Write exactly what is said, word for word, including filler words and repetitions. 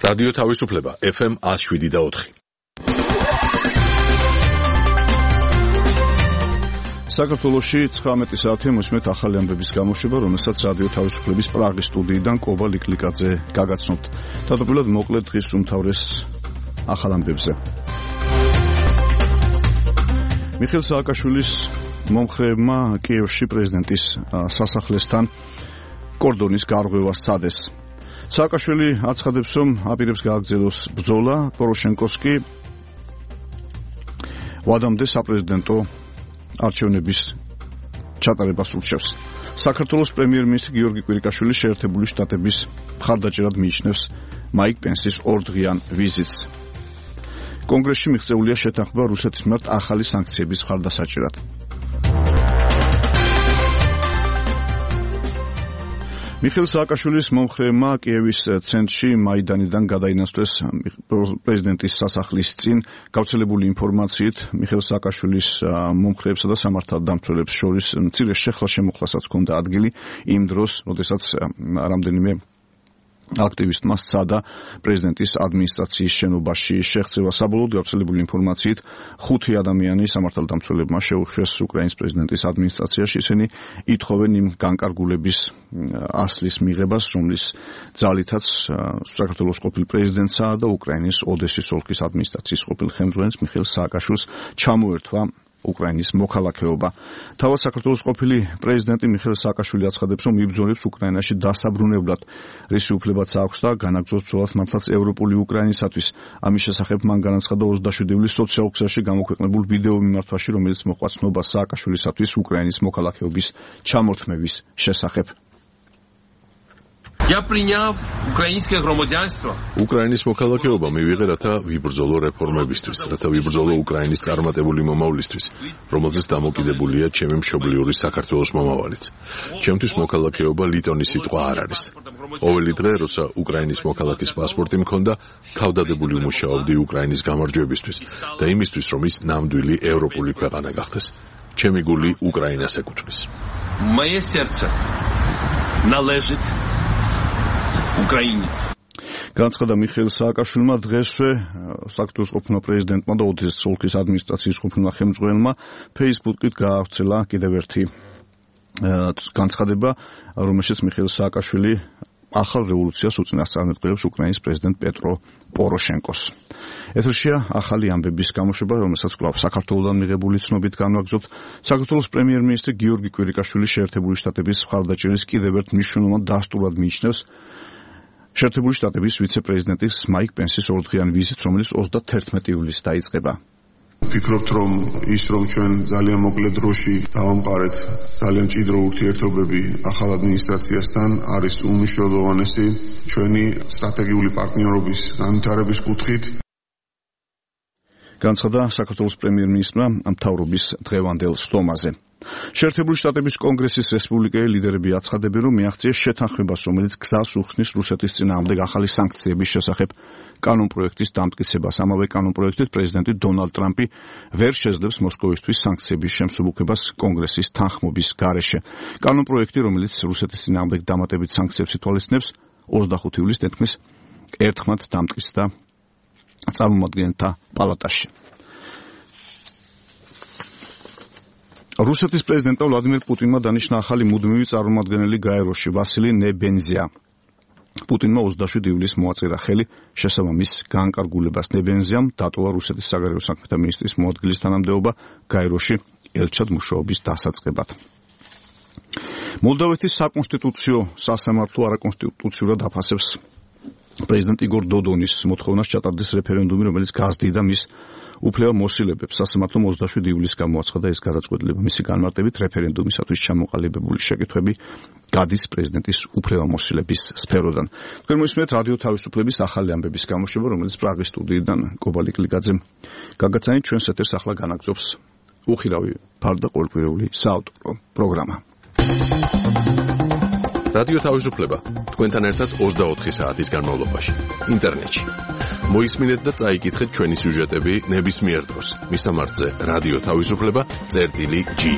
რადიო თავისუფლება ეფ ემ one oh seven და four. საქართველოში ცხრამეტი საათი მოსმეთ ახალი ამბების გამოშვება, რომელსაც რადიო თავისუფლების პრაღის სტუდიიდან კობა ლიკლიკაძე გაგაცნობთ. თავდაპირველად მოკლედ დღის უმთავრეს ახალ ამბებზე. მიხეილ სააკაშვილის მომხრეებმა კიევში პრეზიდენტის სასახლესთან კორდონის გარღვევა სცადეს. სააკაშვილი აცხადებს, რომ აპირებს გააგრძელოს ბრძოლა, პოროშენკოს კი ვადამდე საპრეზიდენტო არჩევნების ჩატარებას ურჩევს. საქართველოს პრემიერ-მინისტრი გიორგი კვირიკაშვილი შეერთებული შტატების მხარდაჭერად მიიჩნევს მაიკ პენსის ორდღიან ვიზიტს. კონგრესში მიღწეულია შეთანხმება რუსეთის მიმართ ახალი სანქციების მხარდასაჭერად. მიხეილ სააკაშვილის მომხრეებმა კიევის ცენტრში მაიდანიდან გადაინაცვლეს პრეზიდენტის სასახლის წინ გავრცელებული ინფორმაციით მიხეილ სააკაშვილის მომხრეებსა და სამართალდამცველებს შორის მცირე შეხლა-შემოხლასაც ჰქონდა ადგილი იმ დროს, როდესაც რამდენიმე აქტივისტმა სცადა პრეზიდენტის ადმინისტრაციის შენობაში შეღწევა. საბოლოოდ გავრცელებული ინფორმაციით ხუთი ადამიანი სამართალდამცველებმა შეუშვეს უკრაინის პრეზიდენტის ადმინისტრაციაში. ისინი ითხოვენ იმ განკარგულების ასლის მიღებას, რომლის ძალითაც საქართველოს ყოფილ პრეზიდენტსა და უკრაინის ოდესის ოლქის ადმინისტრაციის ყოფილ ხელმძღვანელს მიხეილ სააკაშვილს ჩამოერთვა უკრაინის მოქალაქეობა. თავად საქართველოს ყოფილი პრეზიდენტი მიხეილ სააკაშვილი აცხადებს, რომ იბრძოლებს უკრაინაში დასაბრუნებლად. რისი უფლებაც აქვს და განაგრძობს ბრძოლას მართლაც ევროპული უკრაინისათვის. ამის შესახებ მან განაცხადა ოცდაშვიდი ივლისს სოციალურ ქსელში გამოქვეყნებულ ვიდეო მიმართვაში, რომელიც მოჰყვა ცნობას სააკაშვილისათვის უკრაინის მოქალაქეობის ჩამორთმევის შესახებ. Я приняв украинское громадянство. უკრაინის მოქალაქეობა მივიღე, რათა ვიბრძოლო რეფორმებისთვის, რათა ვიბრძოლო უკრაინის წარმატებული მომავლისთვის, რომელზეც დამოკიდებულია ჩემი მშობლიური საქართველოს მომავალიც. ჩემთვის მოქალაქეობა ლიტონის სიტყვა არ არის. ყოველი დღე, როცა უკრაინის მოქალაქის პასპორტი მქონდა, თავდადებული ვმუშაობდი უკრაინის გამარჯვებისთვის და იმისთვის, რომ ის ნამდვილი ევროპული ქვეყანა გახდეს. ჩემი გული უკრაინას ეკუთვნის. Мое сердце належит უკრაინა. განცხადა მიხეილ სააკაშვილმა დღესვე საქართველოს ყოფილმა პრეზიდენტმა და ოდესის ოლქის ადმინისტრაციის ყოფილმა ხელმძღვანელმა ფეისბუქით გაავრცელა კიდევ ერთი განცხადება, რომელშიც მიხეილ სააკაშვილი ახალ რევოლუციას უწინასწარმეტყველებს უკრაინის პრეზიდენტ პეტრო პოროშენკოს. ეთერშია ახალი ამბების გამოშვება, რომელსაც კვლავ საქართველოსთან მიღებული ცნობით განვაგრძობთ. საქართველოს პრემიერ-მინისტრი გიორგი კვირიკაშვილი შეერთებული შტატების მხარდაჭერის კიდევ ერთ მნიშვნელოვან დასტურად მიიჩნევს შეერთებული შტატების ვიცე-პრეზიდენტის მაიკ პენსის ორდღიან ვიზიტს, რომელიც ოცდათერთმეტი ივლისს დაიწყება. ვფიქრობთ, რომ ის რომ ჩვენ ძალიან მოკლე დროში დავამყარეთ ძალიან მჭიდრო ურთიერთობები ახალ ადმინისტრაციასთან, არის უმნიშვნელოვანესი ჩვენი სტრატეგიული პარტნიორობის განვითარების კუთხით. განცხადა საქართველოს პრემიერ-მინისტრმა მთავრობის დღევანდელ სტომაზე. შეერთებული შტატების კონგრესის რესპუბლიკელი ლიდერები აცხადებენ, რომ მიაღწიეს შეთანხმებას, რომელიც გზას უხსნის რუსეთის წინააღმდეგ ახალი სანქციების შესახებ კანონპროექტის დამტკიცებას. ამავე კანონპროექტით პრეზიდენტი დონალდ ტრამპი ვერ შეძლებს მოსკოვისთვის სანქციების შემსუბუქებას კონგრესის თანხმობის გარეშე. კანონპროექტი, რომელიც რუსეთის წინააღმდეგ დამატებით სანქციებს ითვალისწინებს, ოცდახუთი ივლისს თითქმის ერთხმად დამტკიცდა წარმომადგენელთა პალატაში. რუსეთის პრეზიდენტმა ვლადიმერ პუტინმა დანიშნა ახალი მუდმივი წარმომადგენელი გაეროში ვასილი ნებენზია. პუტინმა ოცდაშვიდი ივლისს მოაწერა ხელი შესაბამის განკარგულებას. ნებენზიამ დატოვა რუსეთის საგარეო საქმეთა მინისტრის მოადგილის თანამდებობა გაეროში ელჩად მუშაობის დასაწყებად. მოლდოვეთის საკონსტიტუციო სასამართლო არაკონსტიტუციურად აფასებს პრეზიდენტ იგორ დოდონის მოთხოვნას ჩატარდეს რეფერენდუმი, რომელიც გაზრდიდა მის უფლება მოსილებებს. სასამართლომ ოცდაშვიდი ივლისს გამოაცხადა ეს გადაწყვეტილება. მისი განმარტებით რეფერენდუმისათვის ჩამოყალიბებული შეკითხვები გადის პრეზიდენტის უფლება მოსილების სფეროდან. თქვენ მოისმენთ რადიო თავისუფლების ახალი ამბების გამოშვება, რომელიც პრაღის სტუდიიდან კობა ლიკლიკაძემ გაგაცანით. ჩვენს ეთერს ახლა განაგრძობს უხილავი ფარდა ყოველკვირეული საავტორო პროგრამა. რადიო თავისუფლება თქვენთან ერთად ოცდაოთხი საათის განმავლობაში ინტერნეტში. მოისმინეთ და წაიკითხეთ ჩვენი სიუჟეტები ნებისმიერ დროს. მისამართზე რადიო თავისუფლება წერტილი ჯი.